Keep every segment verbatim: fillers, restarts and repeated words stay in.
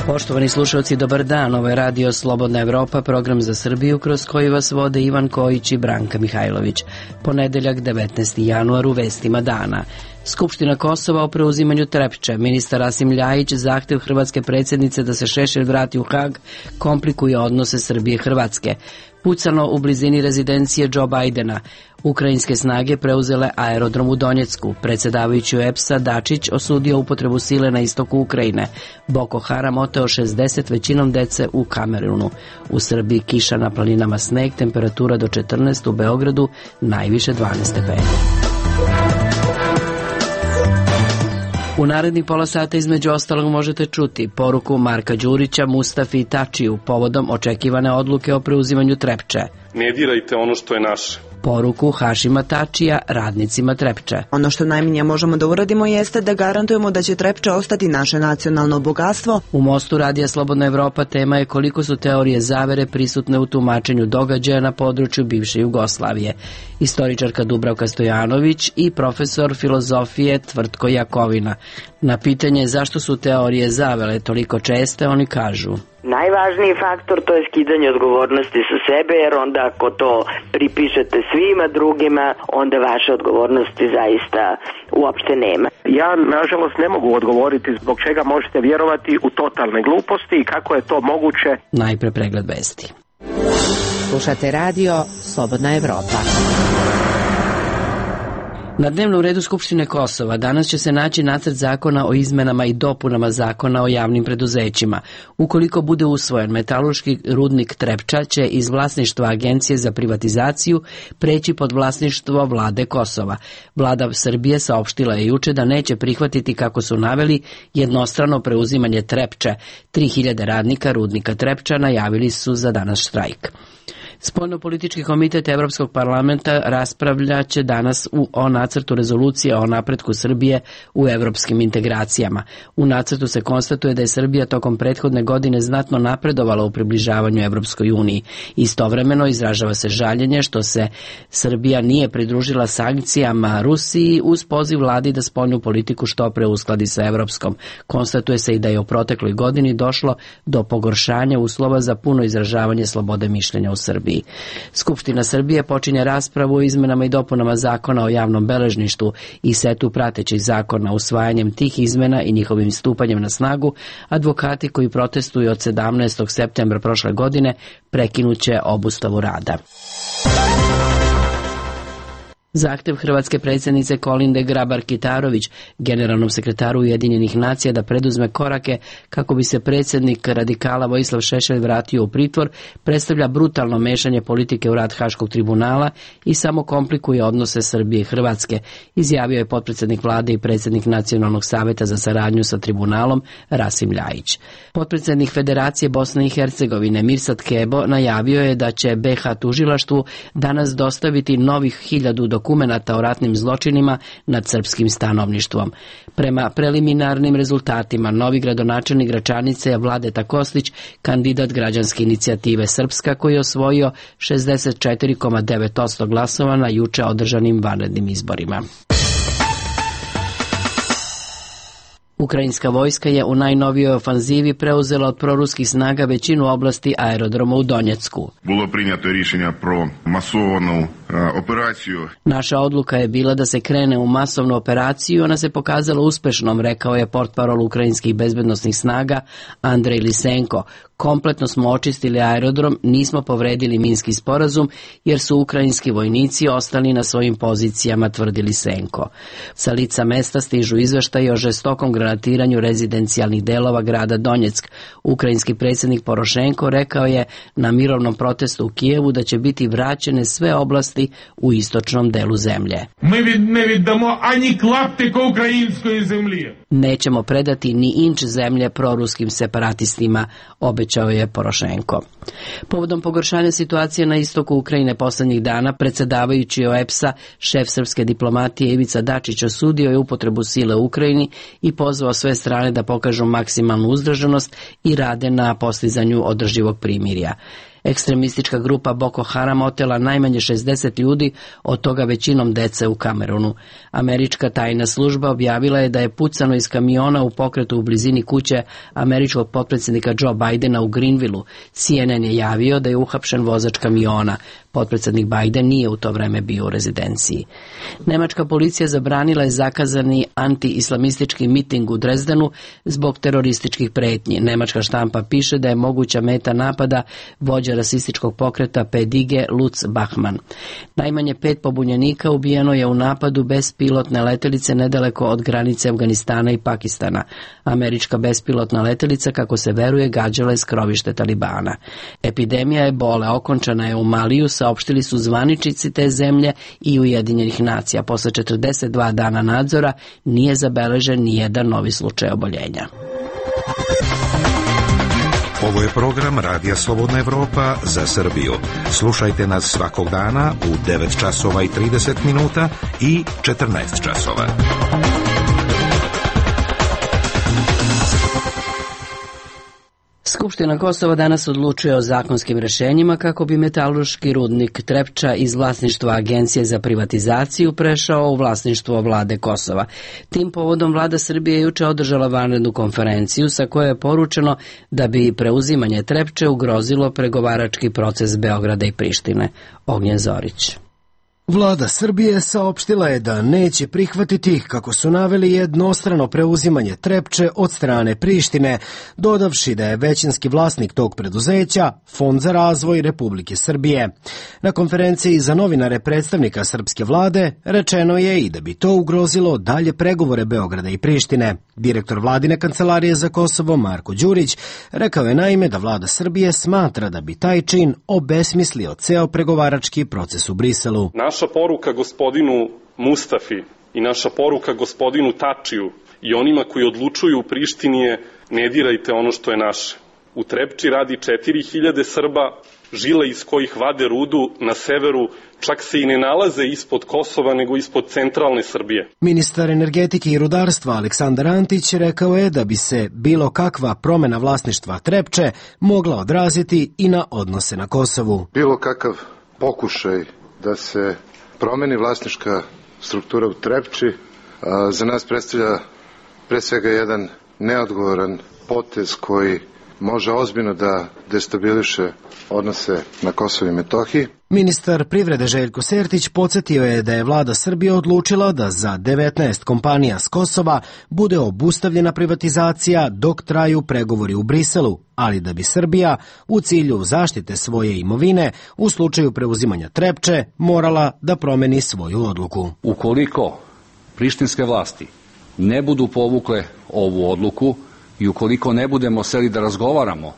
Poštovani slušalci, dobar dan. Ovo je Radio Slobodna Evropa, program za Srbiju kroz koji vas vode Ivan Kojić i Branka Mihajlović. Ponedeljak, devetnaesti januar, u vestima dana. Skupština Kosova o preuzimanju Trepče. Ministar Rasim Ljajić zahtev hrvatske predsjednice da se Šešelj vrati u Hag komplikuje odnose Srbije i Hrvatske. Pucano u blizini rezidencije Joe Bidena. Ukrajinske snage preuzele aerodrom u Donjecku. Predsjedavajući u E P S-a Dačić osudio upotrebu sile na istoku Ukrajine. Boko Haram oteo šezdeset većinom dece u Kamerunu. U Srbiji kiša, na planinama sneg, temperatura do četrnaest, u Beogradu najviše dvanaest stepeni. U narednih pola sata između ostalog možete čuti poruku Marka Đurića Mustafi Tačiju povodom očekivane odluke o preuzimanju Trepče. Ne dirajte ono što je naše. Poruku Hašima Tačija radnicima Trepče. Ono što najmanje možemo da uradimo jeste da garantujemo da će Trepče ostati naše nacionalno bogatstvo. U Mostu Radija Slobodna Evropa tema je koliko su teorije zavere prisutne u tumačenju događaja na području bivše Jugoslavije. Istoričarka Dubravka Stojanović i profesor filozofije Tvrtko Jakovina. Na pitanje zašto su teorije zavere toliko česte, oni kažu: najvažniji faktor to je skidanje odgovornosti sa sebe, jer onda ako to pripišete svima drugima, onda vaše odgovornosti zaista uopšte nema. Ja, nažalost, ne mogu odgovoriti zbog čega možete vjerovati u totalne gluposti i kako je to moguće. Najpre pregled vesti. Slušate radio Slobodna Evropa. Na dnevnom redu Skupštine Kosova danas će se naći nacrt zakona o izmenama i dopunama zakona o javnim preduzećima. Ukoliko bude usvojen, metalurški rudnik Trepča će iz vlasništva Agencije za privatizaciju preći pod vlasništvo vlade Kosova. Vlada Srbije saopštila je juče da neće prihvatiti, kako su naveli, jednostrano preuzimanje Trepče. tri hiljade radnika rudnika Trepča najavili su za danas štrajk. Spoljnopolitički komitet Evropskog parlamenta raspravljaće danas u, o nacrtu rezolucije o napretku Srbije u evropskim integracijama. U nacrtu se konstatuje da je Srbija tokom prethodne godine znatno napredovala u približavanju Evropskoj uniji. Istovremeno izražava se žaljenje što se Srbija nije pridružila sankcijama Rusiji uz poziv vladi da spoljnu politiku što pre uskladi sa evropskom. Konstatuje se i da je u protekloj godini došlo do pogoršanja uslova za puno izražavanje slobode mišljenja u Srbiji. Skupština Srbije počinje raspravu o izmenama i dopunama zakona o javnom beležništvu i setu pratećih zakona. Usvajanjem tih izmena i njihovim stupanjem na snagu, advokati koji protestuju od sedamnaestog septembra prošle godine prekinuće obustavu rada. Zahtev hrvatske predsjednice Kolinde Grabar-Kitarović, generalnom sekretaru Ujedinjenih nacija, da preduzme korake kako bi se predsjednik radikala Vojislav Šešelj vratio u pritvor, predstavlja brutalno mešanje politike u rad Haškog tribunala i samo komplikuje odnose Srbije i Hrvatske, izjavio je potpredsjednik vlade i predsjednik Nacionalnog saveta za saradnju sa tribunalom Rasim Ljajić. Potpredsjednik Federacije Bosne i Hercegovine Mirsad Kebo najavio je da će B iH tužilaštvu danas dostaviti novih hiljadu dokumenata o ratnim zločinima nad srpskim stanovništvom. Prema preliminarnim rezultatima, novi gradonačelnik Gračanice je Vladeta Kostić, kandidat građanske inicijative Srpska, koji je osvojio šezdeset četiri zarez devet posto glasova na juče održanim vanrednim izborima. Ukrajinska vojska je u najnovijoj ofanzivi preuzela od proruskih snaga većinu oblasti aerodroma u Donjecku. Bilo prinjato rješenje pro masovanu operaciju. Naša odluka je bila da se krene u masovnu operaciju, ona se pokazala uspešnom, rekao je portparol ukrajinskih bezbednosnih snaga Andrej Lisenko. Kompletno smo očistili aerodrom, nismo povredili minski sporazum jer su ukrajinski vojnici ostali na svojim pozicijama, tvrdi Lisenko. Sa lica mesta stižu izveštaji o žestokom granatiranju rezidencijalnih delova grada Donjeck. Ukrajinski predsjednik Porošenko rekao je na mirovnom protestu u Kijevu da će biti vraćene sve oblasti u istočnom delu zemlje. Mi ne vidimo ani klaptika ukrajinskoj zemlji. Nećemo predati ni inč zemlje proruskim separatistima, obećao je Porošenko. Povodom pogoršanja situacije na istoku Ukrajine poslednjih dana, predsjedavajući O E P S-a, šef srpske diplomatije Ivica Dačić osudio je upotrebu sile u Ukrajini i pozvao sve strane da pokažu maksimalnu uzdržanost i rade na postizanju održivog primirja. Ekstremistička grupa Boko Haram otela najmanje šezdeset ljudi, od toga većinom dece u Kamerunu. Američka tajna služba objavila je da je pucano iz kamiona u pokretu u blizini kuće američkog potpredsjednika Joe Bidena u Greenvillu. C N N je javio da je uhapšen vozač kamiona. Potpredsjednik Biden nije u to vreme bio u rezidenciji. Nemačka policija zabranila je zakazani anti-islamistički miting u Drezdenu zbog terorističkih pretnji. Nemačka štampa piše da je moguća meta napada vođa rasističkog pokreta P D G Lutz Bachmann. Najmanje pet pobunjenika ubijeno je u napadu bespilotne letelice nedaleko od granice Afganistana i Pakistana. Američka bespilotna letelica, kako se veruje, gađala je skrovište Talibana. Epidemija ebole okončana je u Maliju, saopštili su zvaničnici te zemlje i Ujedinjenih nacija. Posle četrdeset dva dana nadzora nije zabeležen ni jedan novi slučaj oboljenja. Ovo je program Radija Slobodna Evropa za Srbiju. Slušajte nas svakog dana u devet časova i trideset minuta i četrnaest časova. Skupština Kosova danas odlučuje o zakonskim rešenjima kako bi metalurški rudnik Trepča iz vlasništva Agencije za privatizaciju prešao u vlasništvo vlade Kosova. Tim povodom vlada Srbije juče održala vanrednu konferenciju sa kojoj je poručeno da bi preuzimanje Trepče ugrozilo pregovarački proces Beograda i Prištine. Ognjen Zorić. Vlada Srbije saopštila je da neće prihvatiti, kako su naveli, jednostrano preuzimanje Trepče od strane Prištine, dodavši da je većinski vlasnik tog preduzeća Fond za razvoj Republike Srbije. Na konferenciji za novinare predstavnika srpske vlade rečeno je i da bi to ugrozilo dalje pregovore Beograda i Prištine. Direktor vladine kancelarije za Kosovo Marko Đurić rekao je naime da vlada Srbije smatra da bi taj čin obesmislio ceo pregovarački proces u Briselu. Naša poruka gospodinu Mustafi i naša poruka gospodinu Tačiju i onima koji odlučuju u Prištini je: ne dirajte ono što je naše. U Trepči radi četiri hiljade Srba, žile iz kojih vade rudu na severu čak se i ne nalaze ispod Kosova nego ispod centralne Srbije. Ministar energetike i rudarstva Aleksandar Antić rekao je da bi se bilo kakva promena vlasništva Trepče mogla odraziti i na odnose na Kosovu. Bilo kakav pokušaj da se promeni vlasnička struktura u Trepči za nas predstavlja pre svega jedan neodgovoran potez koji može ozbiljno da destabiliše odnose na Kosovu i Metohiji. Ministar privrede Željko Sertić podsjetio je da je vlada Srbije odlučila da za devetnaest kompanija s Kosova bude obustavljena privatizacija dok traju pregovori u Briselu, ali da bi Srbija u cilju zaštite svoje imovine u slučaju preuzimanja Trepče morala da promeni svoju odluku. Ukoliko prištinske vlasti ne budu povukle ovu odluku i ukoliko ne budemo seli da razgovaramo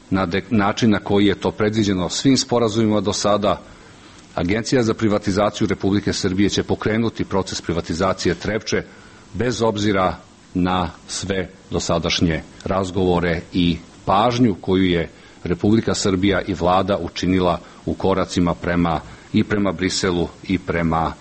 na način na koji je to predviđeno svim sporazumima do sada, Agencija za privatizaciju Republike Srbije će pokrenuti proces privatizacije Trepče bez obzira na sve dosadašnje razgovore i pažnju koju je Republika Srbija i vlada učinila u koracima prema i prema Briselu i prema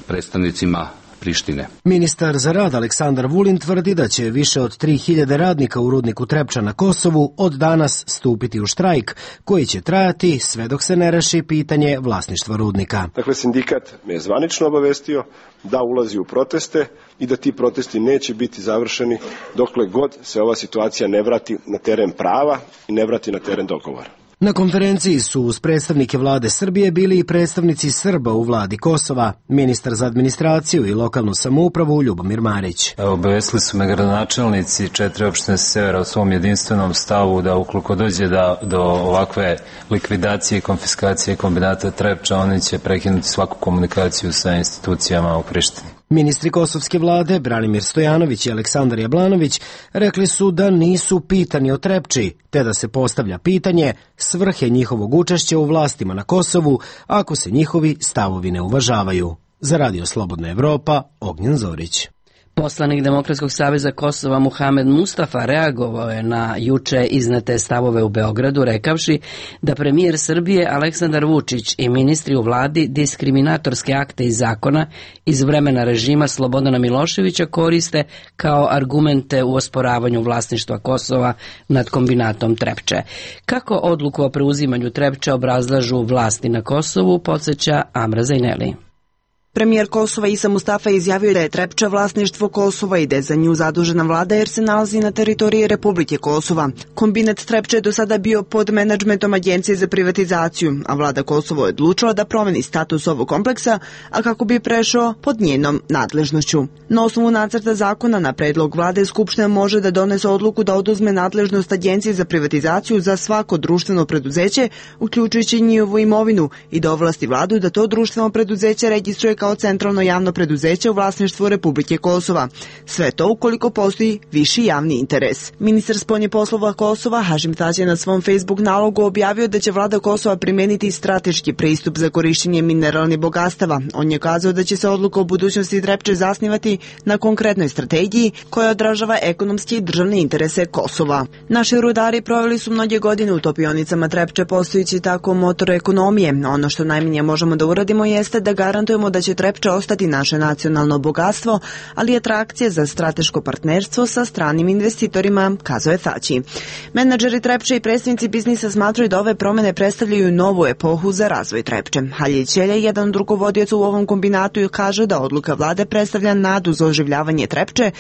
predstavnicima Prištine. Ministar za rad Aleksandar Vulin tvrdi da će više od tri hiljade radnika u rudniku Trepča na Kosovu od danas stupiti u štrajk, koji će trajati sve dok se ne reši pitanje vlasništva rudnika. Dakle, sindikat me je zvanično obavestio da ulazi u proteste i da ti protesti neće biti završeni dokle god se ova situacija ne vrati na teren prava i ne vrati na teren dogovora. Na konferenciji su uz predstavnike vlade Srbije bili i predstavnici Srba u vladi Kosova, ministar za administraciju i lokalnu samoupravu Ljubomir Marić. Obavestili su me gradonačelnici četiri opštine sa severa u svom jedinstvenom stavu da ukoliko dođe da, do ovakve likvidacije i konfiskacije kombinata Trepča, oni će prekinuti svaku komunikaciju sa institucijama u Prištini. Ministri kosovske vlade Branimir Stojanović i Aleksandar Jablanović rekli su da nisu pitani o Trepči, te da se postavlja pitanje svrhe njihovog učešća u vlastima na Kosovu ako se njihovi stavovi ne uvažavaju. Za Radio Slobodna Evropa, Ognjen Zorić. Poslanik Demokratskog saveza Kosova Muhamed Mustafa reagovao je na juče iznete stavove u Beogradu, rekavši da premijer Srbije Aleksandar Vučić i ministri u vladi diskriminatorske akte i zakona iz vremena režima Slobodana Miloševića koriste kao argumente u osporavanju vlasništva Kosova nad kombinatom Trepče. Kako odluku o preuzimanju Trepče obrazlažu vlasti na Kosovu, podsjeća Amra Zajneli. Premijer Kosova Isa Mustafa izjavio da je Trepča vlasništvo Kosova i da je za nju zadužena vlada jer se nalazi na teritoriji Republike Kosova. Kombinat Trepče je do sada bio pod menadžmentom Agencije za privatizaciju, a vlada Kosovo je odlučila da promeni status ovog kompleksa, a kako bi prešao pod njenom nadležnošću. Na osnovu nacrta zakona na predlog vlade Skupština može da donese odluku da oduzme nadležnost Agencije za privatizaciju za svako društveno preduzeće, uključujući njihovu imovinu, i da ovlasti vladu da to društveno preduzeće registruje kao centralno javno preduzeće u vlasništvu Republike Kosova. Sve to ukoliko postoji viši javni interes. Ministar spoljnih poslova Kosova Hašim Tači je na svom Facebook nalogu objavio da će vlada Kosova primeniti strateški pristup za korišćenje mineralnih bogatstava. On je kazao da će se odluka o budućnosti Trepče zasnivati na konkretnoj strategiji koja odražava ekonomske i državne interese Kosova. Naši rudari proveli su mnoge godine u topionicama Trepče postojići tako motor ekonomije. Ono što najmanje možemo da uradimo jeste da garantujemo da će Trepča ostati naše nacionalno bogatstvo, ali i atrakcija za strateško partnerstvo sa stranim investitorima, kazao je Tači. Menadžeri Trepče i predstavnici biznisa smatraju da ove promene predstavljaju novu epohu za razvoj Trepče. Halil Ćelja, jedan od rukovodioca u ovom kombinatu, kaže da odluka vlade predstavlja nadu za oživljavanje Trepče.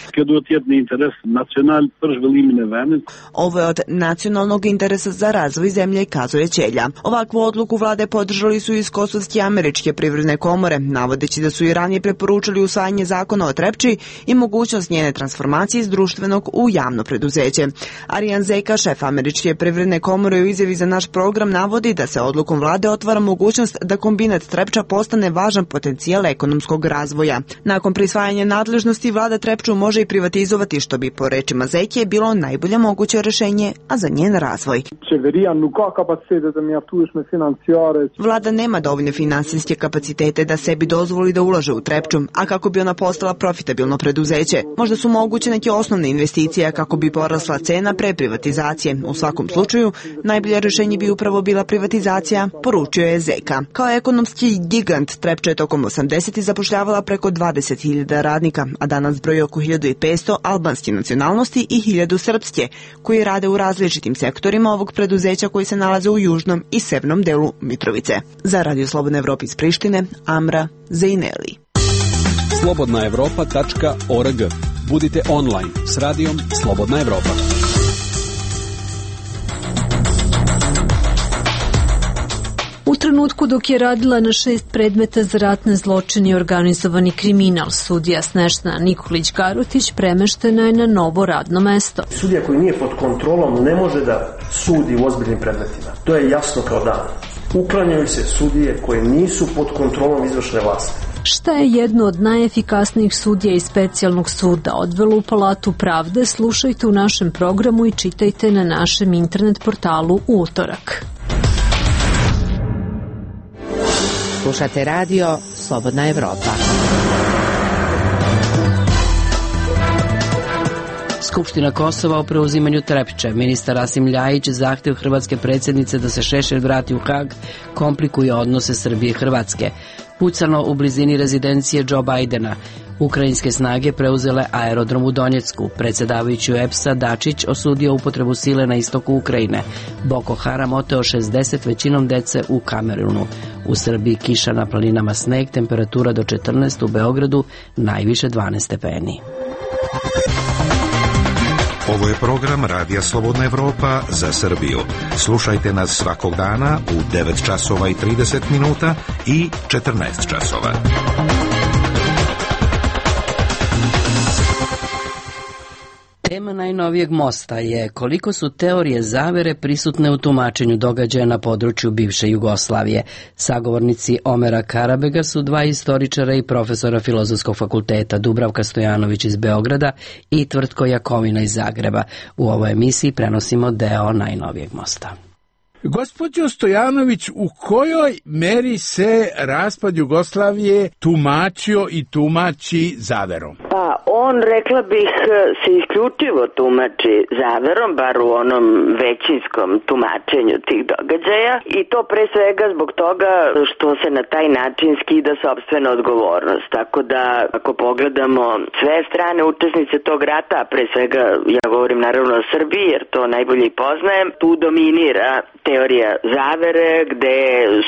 Ovo je od nacionalnog interesa za razvoj zemlje, kazao je Ćelja. Ovakvu odluku vlade podržali su iz kosovske i američke privredne komore, navodeći da su i ranije preporučili usvajanje zakona o Trepči i mogućnost njene transformacije iz društvenog u javno preduzeće. Arijan Zeka, šef američke privredne komore, u izjavi za naš program navodi da se odlukom vlade otvara mogućnost da kombinat Trepča postane važan potencijal ekonomskog razvoja. Nakon prisvajanja nadležnosti, vlada Trepču može i privatizovati, što bi po rečima Zeke bilo najbolje moguće rešenje, a za njen razvoj. Vlada nema dovoljne finansijske kapacitete da sebi dozvoli da ulaže u Trepču, a kako bi ona postala profitabilno preduzeće. Možda su moguće neke osnovne investicije kako bi porasla cena pre privatizacije. U svakom slučaju, najbolje rešenje bi upravo bila privatizacija, poručio je Zeka. Kao ekonomski gigant, Trepča je tokom osamdesetih zapošljavala preko dvadeset hiljada radnika, a danas broji oko hiljadu petsto albanske nacionalnosti i hiljadu srpske, koji rade u različitim sektorima ovog preduzeća koji se nalaze u južnom i severnom delu Mitrovice. Za Radio Slobodna Evropa iz Prištine, Amra Zajneli. slobodna evropa tačka org. Budite online s radijom Slobodna Evropa. U trenutku dok je radila na šest predmeta za ratne zločine i organizovani kriminal, sudija Snežana Nikolić-Garutić premeštena je na novo radno mesto. Sudija koji nije pod kontrolom ne može da sudi u ozbiljnim predmetima. To je jasno kao dan. Uklanjaju se sudije koje nisu pod kontrolom izvršne vlasti. Šta je jedno od najefikasnijih sudija iz specijalnog suda odvelo u Palatu pravde, slušajte u našem programu i čitajte na našem internet portalu u utorak. Slušate radio Slobodna Evropa. Skupština Kosova o preuzimanju Trepče. Ministar Rasim Ljajić zahtev hrvatske predsjednice da se Šešelj vrati u Hag komplikuje odnose Srbije i Hrvatske. Pucano u blizini rezidencije Joe Bidena. Ukrajinske snage preuzele aerodrom u Donjecku. Predsjedavajući E P S-a Dačić osudio upotrebu sile na istoku Ukrajine. Boko Haram oteo šezdeset većinom dece u Kamerunu. U Srbiji kiša, na planinama sneg, temperatura do četrnaest, u Beogradu najviše dvanaest stepeni. Ovo je program Radija Slobodna Evropa za Srbiju. Slušajte nas svakog dana u devet časova i trideset minuta i četrnaest časova. Tema najnovijeg mosta je koliko su teorije zavere prisutne u tumačenju događaja na području bivše Jugoslavije. Sagovornici Omera Karabega su dva istoričara i profesora Filozofskog fakulteta, Dubravka Stojanović iz Beograda i Tvrtko Jakovina iz Zagreba. U ovoj emisiji prenosimo deo najnovijeg mosta. Gospođo Stojanović, u kojoj meri se raspad Jugoslavije tumačio i tumači zaverom? Pa On, rekla bih, se isključivo tumači zaverom, bar u onom većinskom tumačenju tih događaja, i to pre svega zbog toga što se na taj način skida sopstvena odgovornost. Tako da, ako pogledamo sve strane učesnice tog rata, pre svega ja govorim naravno o Srbiji, jer to najbolje i poznajem, tu dominira teorija zavere, gde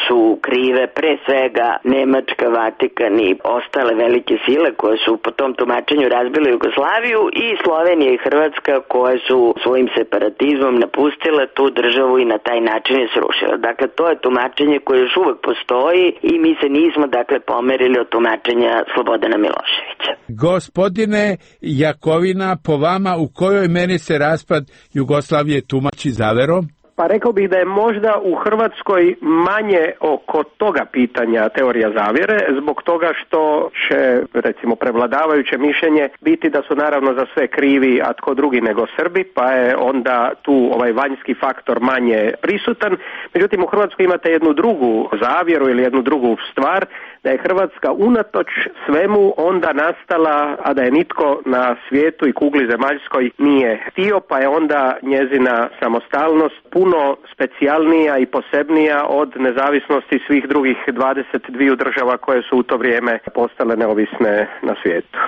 su krive pre svega Nemačka, Vatikan i ostale velike sile koje su po tom tumačenju razbile Jugoslaviju, i Slovenija i Hrvatska koje su svojim separatizmom napustile tu državu i na taj način je srušile. Dakle, to je tumačenje koje još uvek postoji i mi se nismo dakle pomerili od tumačenja Slobodana Miloševića. Gospodine Jakovina, po vama u kojoj meri se raspad Jugoslavije tumači zaverom? Pa rekao bih da je možda u Hrvatskoj manje oko toga pitanja teorija zavjere, zbog toga što će, recimo, prevladavajuće mišljenje biti da su naravno za sve krivi, a tko drugi nego Srbi, pa je onda tu ovaj vanjski faktor manje prisutan. Međutim, u Hrvatskoj imate jednu drugu zavjeru ili jednu drugu stvar, da je Hrvatska unatoč svemu onda nastala, a da je nitko na svijetu i kugli zemaljskoj nije htio, pa je onda njezina samostalnost puno specijalnija i posebnija od nezavisnosti svih drugih dvadeset dvije država koje su u to vrijeme postale neovisne na svijetu.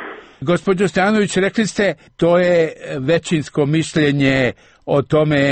Gospođo Stanović, rekli ste, to je većinsko mišljenje o tome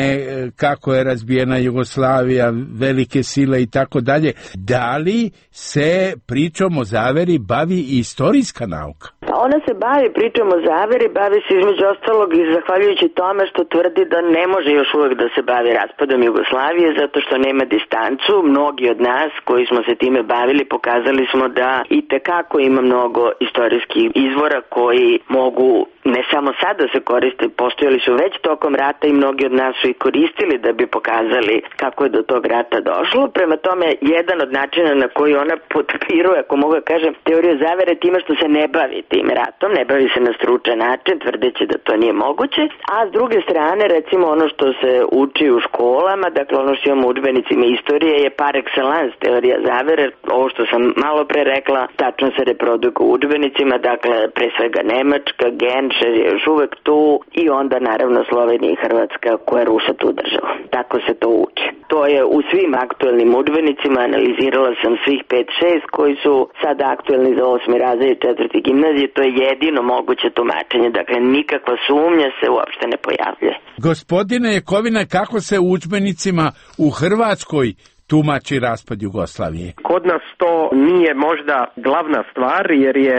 kako je razbijena Jugoslavija, velike sile i tako dalje. Da li se pričom o zaveri bavi i istorijska nauka? Ona se bavi pričom o zaveri, bavi se između ostalog i zahvaljujući tome što tvrdi da ne može još uvek da se bavi raspadom Jugoslavije zato što nema distancu. Mnogi od nas koji smo se time bavili pokazali smo da i tekako ima mnogo istorijskih izvora koji mogu ne samo sad da se koriste, postojali su već tokom rata i mnogi od nas su i koristili da bi pokazali kako je do tog rata došlo. Prema tome, jedan od načina na koji ona potpiruje, ako mogu da kažem, teoriju zavere time što se ne bavi tim ratom, ne bavi se na stručan način, tvrdeći da to nije moguće, a s druge strane, recimo ono što se uči u školama, dakle ono što imamo u udžbenicima istorije je par excellence teorija zavere, ovo što sam malo pre rekla, tačno se reprodukuje u udžbenicima, dakle pre svega Nemačka, Genšer je još uvek tu i onda naravno Slovenija i Hrvatska koja ruša tu državu. Tako se to uči. To je u svim aktuelnim udžbenicima, analizirala sam svih pet šest koji su sada aktuelni za osmi razred i četvrti gimnazije, to je jedino moguće tumačenje, dakle nikakva sumnja se uopšte ne pojavljuje. Gospodine Jakovina, kako se u udžbenicima u Hrvatskoj tumači raspad Jugoslavije? Kod nas to nije možda glavna stvar jer je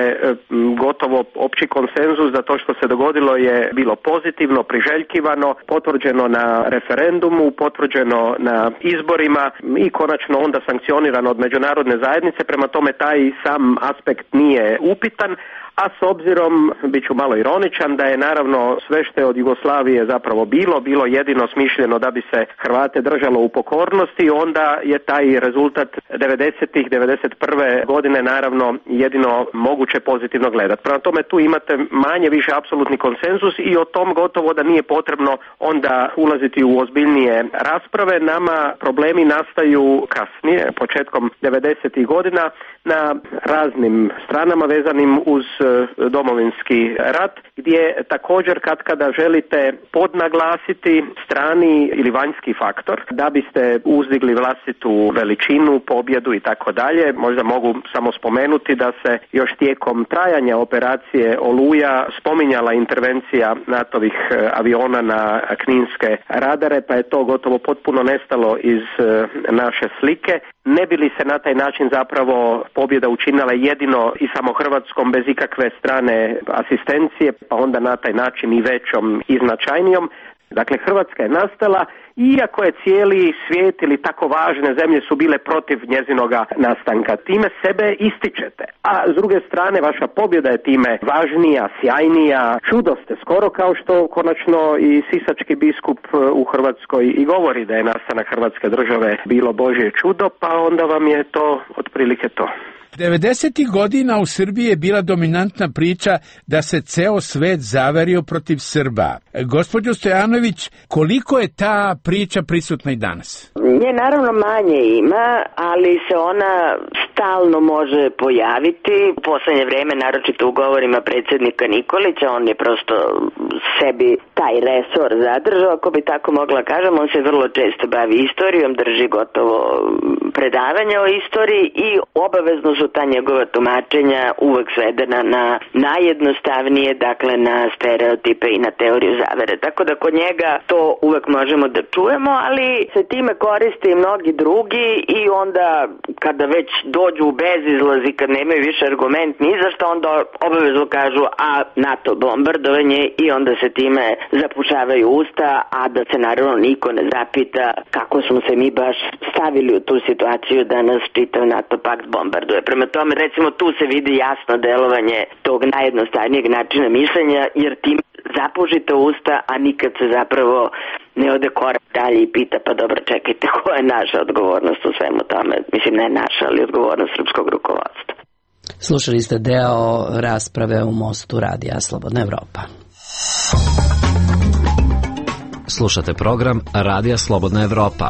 gotovo opći konsenzus da to što se dogodilo je bilo pozitivno, priželjkivano, potvrđeno na referendumu, potvrđeno na izborima i konačno onda sankcionirano od međunarodne zajednice, prema tome taj sam aspekt nije upitan. A s obzirom, bit ću malo ironičan, da je naravno sve što je od Jugoslavije zapravo bilo, bilo jedino smišljeno da bi se Hrvate držalo u pokornosti, onda je taj rezultat devedesetih, devedeset prve godine naravno jedino moguće pozitivno gledati. Prema tome tu imate manje više apsolutni konsenzus i o tom gotovo da nije potrebno onda ulaziti u ozbiljnije rasprave. Nama problemi nastaju kasnije, početkom devedesetih godina, na raznim stranama vezanim uz Domovinski rat, gdje također kad kada želite podnaglasiti strani ili vanjski faktor da biste uzdigli vlastitu veličinu, pobjedu i tako dalje. Možda mogu samo spomenuti da se još tijekom trajanja operacije Oluja spominjala intervencija natovih aviona na kninske radare, pa je to gotovo potpuno nestalo iz naše slike. Ne bi li se na taj način zapravo pobjeda učinila jedino i samo Hrvatskom bez ikakve strane asistencije, pa onda na taj način i većom i značajnijom. Dakle, Hrvatska je nastala, iako je cijeli svijet ili tako važne zemlje su bile protiv njezinoga nastanka. Time sebe ističete, a s druge strane vaša pobjeda je time važnija, sjajnija, čudo ste, skoro kao što konačno i sisački biskup u Hrvatskoj i govori da je nastanak Hrvatske države bilo Božje čudo, pa onda vam je to otprilike to. devedesetih godina u Srbiji je bila dominantna priča da se ceo svet zaverio protiv Srba. Gospođo Stojanović, koliko je ta priča prisutna i danas? Nje naravno manje ima, ali se ona stalno može pojaviti. U poslednje vreme, naročito u govorima predsjednika Nikolića, on je prosto sebi taj resor zadržao, ako bi tako mogla kažem. On se vrlo često bavi istorijom, drži gotovo predavanja o istoriji i obavezno su ta njegova tumačenja uvek svedena na najjednostavnije, dakle na stereotipe i na teoriju zavere. Tako da kod njega to uvek možemo da čujemo, ali se time koriste i mnogi drugi i onda kada već dođu u bezizlaz i kad nemaju više argument ni za što, onda obavezno kažu a NATO bombardovanje i onda se time zapušavaju usta, a da se naravno niko ne zapita kako smo se mi baš stavili u tu situaciju da nas čitav NATO pakt bombarduje. Prema tome, recimo, tu se vidi jasno delovanje tog najjednostavnijeg načina mišljenja, jer tim zapužite usta, a nikad se zapravo ne ode korak dalje i pita, pa dobro, čekajte, koja je naša odgovornost u svemu tome? Mislim, ne naša, ali odgovornost srpskog rukovodstva. Slušali ste deo rasprave u Mostu radija Slobodna Evropa. Slušate program Radija Slobodna Evropa.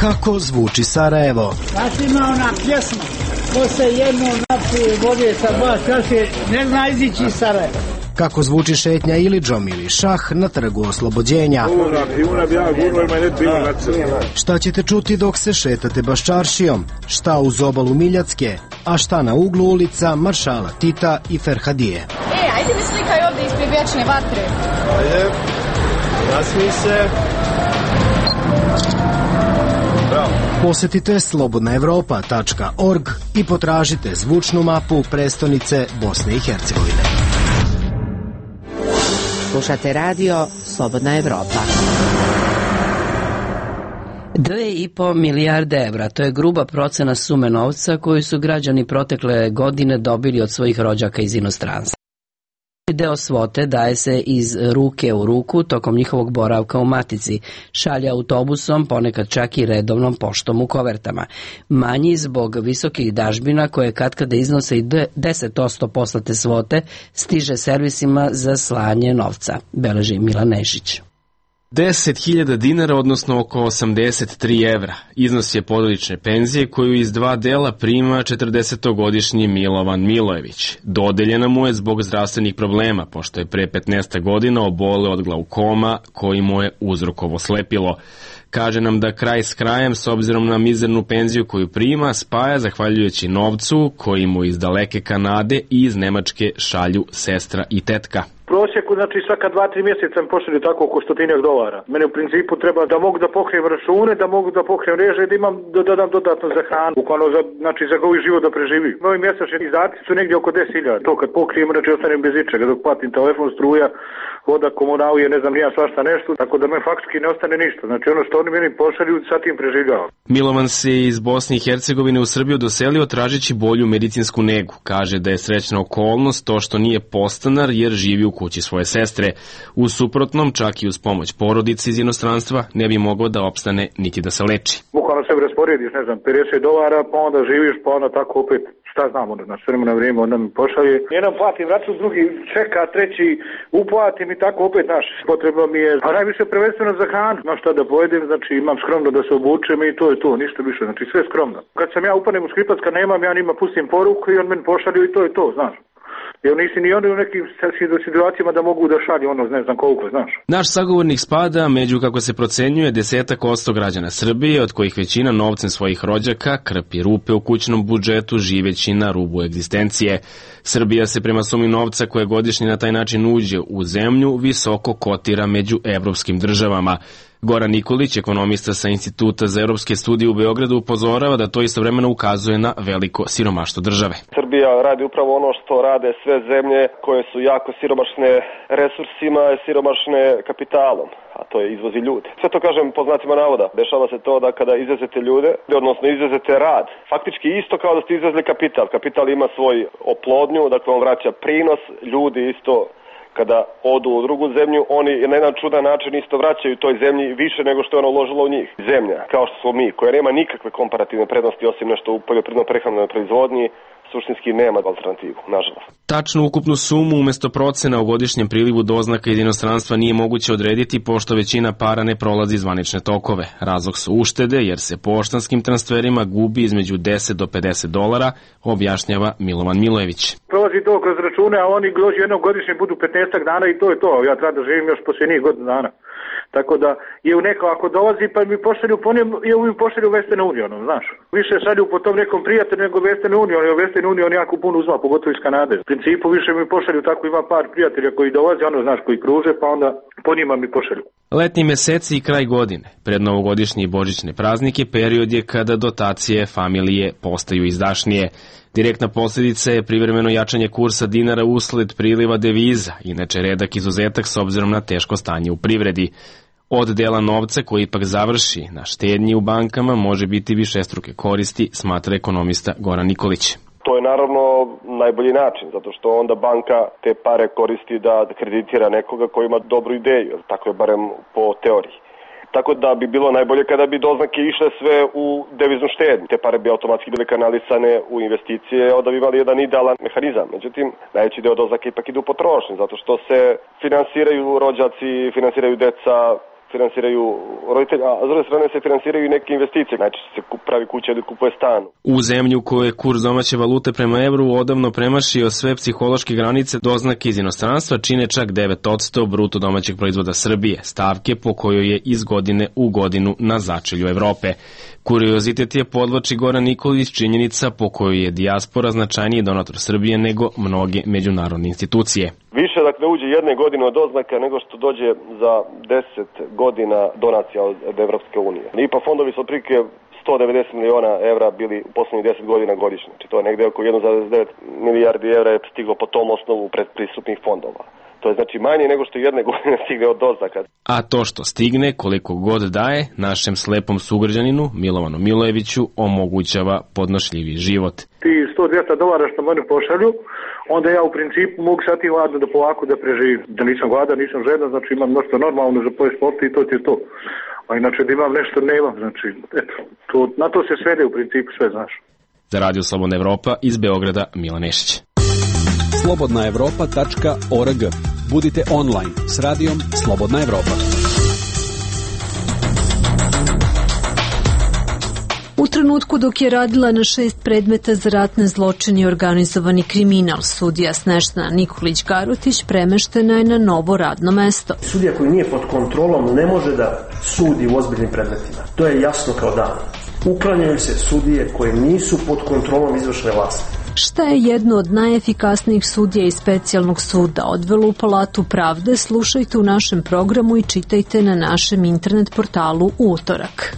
Kako zvuči Sarajevo? Znaš, ima ona pjesma, ko se jedno napije vode sa dva čaše, ne zna izići iz Sarajeva. Kako zvuči šetnja Ilidžom ili šah na trgu Oslobođenja? Šta ćete čuti dok se šetate Baščaršijom? Šta uz obalu Miljacke? A šta na uglu ulica Maršala Tita i Ferhadije? E, ajde mi slikaj ovdje ispred vječne vatre. Ajde, nasmij se. Bravo. Posetite slobodna evropa tačka org i potražite zvučnu mapu prestonice Bosne i Hercegovine. Slušate radio Slobodna Evropa. Dve i po milijarde evra, to je gruba procena sume novca koju su građani protekle godine dobili od svojih rođaka iz inostranstva. Deo svote daje se iz ruke u ruku tokom njihovog boravka u matici, šalje autobusom, ponekad čak i redovnom poštom u kovertama. Manji zbog visokih dažbina koje katkada iznose i deset posto poslate svote stiže servisima za slanje novca, beleži Milan Nešić. deset hiljada dinara, odnosno oko osamdeset tri evra. Iznos je porodične penzije koju iz dva dela prima četrdesetogodišnji Milovan Milojević. Dodeljena mu je zbog zdravstvenih problema, pošto je pre petnaest godina oboleo od glaukoma koji mu je uzrokovo slepilo. Kaže nam da kraj s krajem, s obzirom na mizernu penziju koju prima, spaja zahvaljujući novcu koji mu iz daleke Kanade i iz Nemačke šalju sestra i tetka. Prosjeku, znači svaka dva, tri mjeseca mi pošalju tako oko stotinjak dolara. Mene u principu treba da mogu da pokrijem račune, da mogu da pokrijem reže, da imam, da dodam dodatno za hranu. Bukvalno za, znači za govi život da preživi. Moji mjesečni izdaci su negdje oko deset hiljada. To kad pokrijem, znači ostanem bez ičega, dok platim telefon, struja, voda, komunalije, ne znam, nija svašta nešto, tako da me faktički ne ostane ništa. Znači ono što oni meni pošalju, sa tim preživljavam. Milovan se iz Bosne i Hercegovine u Srbiju doselio tražeći bolju medicinsku negu. Kaže da je srećna okolnost to što nije podstanar jer živi u kući svoje sestre. U suprotnom, čak i uz pomoć porodice iz inostranstva, ne bi mogao da opstane niti da se leči. Bukvalno se rasporediš, ne znam, pedeset dolara, pa onda živiš, pa onda tako opet, šta znam, onda na sve na vrijeme, onda mi pošalje. Jedan platim račun, drugi čeka, treći uplatim i tako opet, naš, potrebno mi je, a najviše prvenstveno za hranu, no šta da pojedem, znači imam skromno da se obučem i to je to, ništa više, znači sve skromno. Kad sam ja upanem u Skripac, kad nemam, ja njima pustim poruku i on meni pošalju i to je to, znaš. Jer nisi ni oni u nekim situacijama da mogu da šalju ono, ne znam koliko, znaš. Naš sagovornik spada među, kako se procenjuje, desetak posto građana Srbije, od kojih većina novcem svojih rođaka krpi rupe u kućnom budžetu, živeći na rubu egzistencije. Srbija se prema sumi novca koje godišnje na taj način uđe u zemlju visoko kotira među evropskim državama. Goran Nikolić, ekonomista sa Instituta za evropske studije u Beogradu, upozorava da to istovremeno ukazuje na veliko siromaštvo države. Srbija radi upravo ono što rade sve zemlje koje su jako siromašne resursima i siromašne kapitalom, a to je izvozi ljude. Sve to kažem po znacima navoda. Dešava se to da kada izvezete ljude, odnosno izvezete rad, faktički isto kao da ste izvezli kapital. Kapital ima svoj oplodnju, dakle on vraća prinos, ljudi isto Kada odu u drugu zemlju, oni na jedan čudan način isto vraćaju toj zemlji više nego što je ona uložila u njih. Zemlja, kao što smo mi, koja nema nikakve komparativne prednosti osim nešto u poljoprivredno-prehrambenoj proizvodnji, suštinski nema alternativu, nažalost. Tačnu ukupnu sumu umjesto procena o godišnjem prilivu doznaka iz inostranstva nije moguće odrediti pošto većina para ne prolazi zvanične tokove. Razlog su uštede jer se poštanskim transferima gubi između deset do pedeset dolara, objašnjava Milovan Milojević. Prolazi to kroz račune, a oni dođu jednom godišnje budu petnaest dana i to je to. Ja treba da živim još posljednjih godina dana. Tako da je u neko ako dolazi pa mi pošalju po njem, je mi pošalju Western Unionom, znaš. Više šalju po tom nekom prijatelju nego Western Union, jer Western Union jako puno uzma, pogotovo iz Kanade. U principu više mi pošalju, tako ima par prijatelja koji dolaze, ono znaš, koji kruže, pa onda po njima mi pošalju. Letnji meseci i kraj godine, pred novogodišnje i božićne praznike, period je kada dotacije familije postaju izdašnije. Direktna posljedica je privremeno jačanje kursa dinara usled priliva deviza, inače redak izuzetak s obzirom na teško stanje u privredi. Od dela novca koji ipak završi na štednji u bankama može biti višestruke koristi, smatra ekonomista Goran Nikolić. To je naravno najbolji način, zato što onda banka te pare koristi da kreditira nekoga koji ima dobru ideju, tako je barem po teoriji. Tako da bi bilo najbolje kada bi doznake išle sve u deviznu štednju. Te pare bi automatski bile kanalisane u investicije, onda bi imali jedan idealan mehanizam. Međutim, najveći deo doznaka ipak ide u potrošnju, zato što se finansiraju rođaci, finansiraju deca, finansiraju roditelji, a s druge strane se finansiraju i neke investicije, znači se pravi kuća ili kupuje stan. U zemlju koje je kurs domaće valute prema evru odavno premašio sve psihološke granice, doznake iz inostranstva čine čak devet posto bruto domaćeg proizvoda Srbije, stavke po kojoj je iz godine u godinu na začelju Evrope. Kuriozitet je, podvlači Goran Nikolić, činjenica po kojoj je dijaspora značajniji donator Srbije nego mnoge međunarodne institucije. Više dakle uđe jedne godine od doznaka nego što dođe za deset godina donacija od, od Evropske unije. I pa fondovi su otprilike sto devedeset miliona evra bili u poslednjih deset godina godišnje. Znači to je negde oko jedan zarez devet milijardi evra je stiglo po tom osnovu predpristupnih fondova. To je znači manje nego što jedne godine stigne od doznaka. A to što stigne, koliko god daje, našem slepom sugrađaninu Milovanu Milojeviću omogućava podnošljivi život. Ti sto do dvesta dolara što mene pošalju, onda ja u principu mogu sad i ladno da polako da preživim. Da nisam gladan, nisam žedan, znači imam nešto normalno za pojest sport i to ti je to. A inače da imam nešto nemam, znači eto, to, na to se svede u principu sve, znaš. Za Radio Slobodna Evropa iz Beograda, Milan Nešić. slobodna evropa tačka org. Budite online s radijom Slobodna Evropa. U trenutku dok je radila na šest predmeta za ratne zločine i organizovani kriminal, sudija Snežana Nikolić-Garutić premeštena je na novo radno mesto. Sudija koji nije pod kontrolom ne može da sudi u ozbiljnim predmetima. To je jasno kao dan. Uklanjaju se sudije koje nisu pod kontrolom izvršne vlasti. Šta je jedno od najefikasnijih sudija iz specijalnog suda odvelo u Palatu pravde, slušajte u našem programu i čitajte na našem internet portalu u utorak.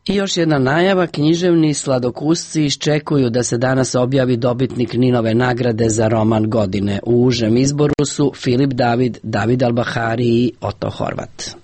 I još jedna najava, književni sladokusci iščekuju da se danas objavi dobitnik Ninove nagrade za roman godine. U užem izboru su Filip David, David Albahari i Oto Horvat.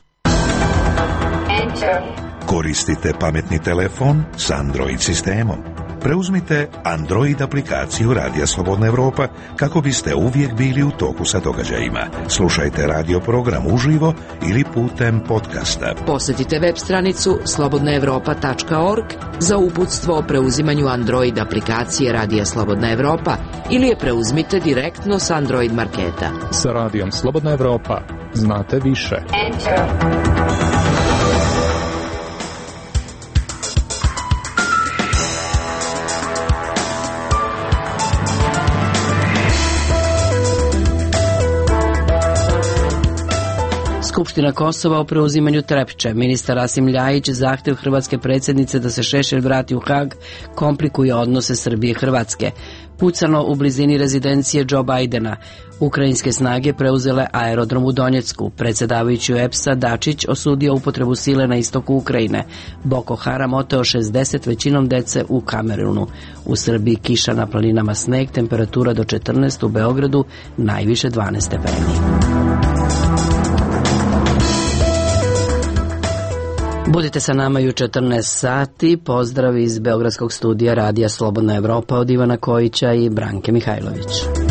Koristite pametni telefon s Android sistemom. Preuzmite Android aplikaciju Radija Slobodna Evropa kako biste uvijek bili u toku sa događajima. Slušajte radio program uživo ili putem podcasta. Posjetite web stranicu slobodna evropa tačka org za uputstvo o preuzimanju Android aplikacije Radija Slobodna Evropa ili je preuzmite direktno s Android marketa. Sa Radijom Slobodna Evropa znate više. Enter. Skupština Kosova o preuzimanju Trepče. Ministar Rasim Ljajić zahtev hrvatske predsjednice da se Šešelj vrati u Hag komplikuje odnose Srbije i Hrvatske. Pucano u blizini rezidencije Joe Bidena. Ukrajinske snage preuzele aerodrom u Donjecku. Predsjedavajući E P S-a Dačić osudio upotrebu sile na istoku Ukrajine. Boko Haram oteo šezdeset većinom dece u Kamerunu. U Srbiji kiša, na planinama sneg, temperatura do četrnaest, u Beogradu najviše dvanaest stepeni. Budite sa nama i u četrnaest sati. Pozdrav iz Beogradskog studija Radija Slobodna Evropa od Ivana Kojića i Branke Mihajlović.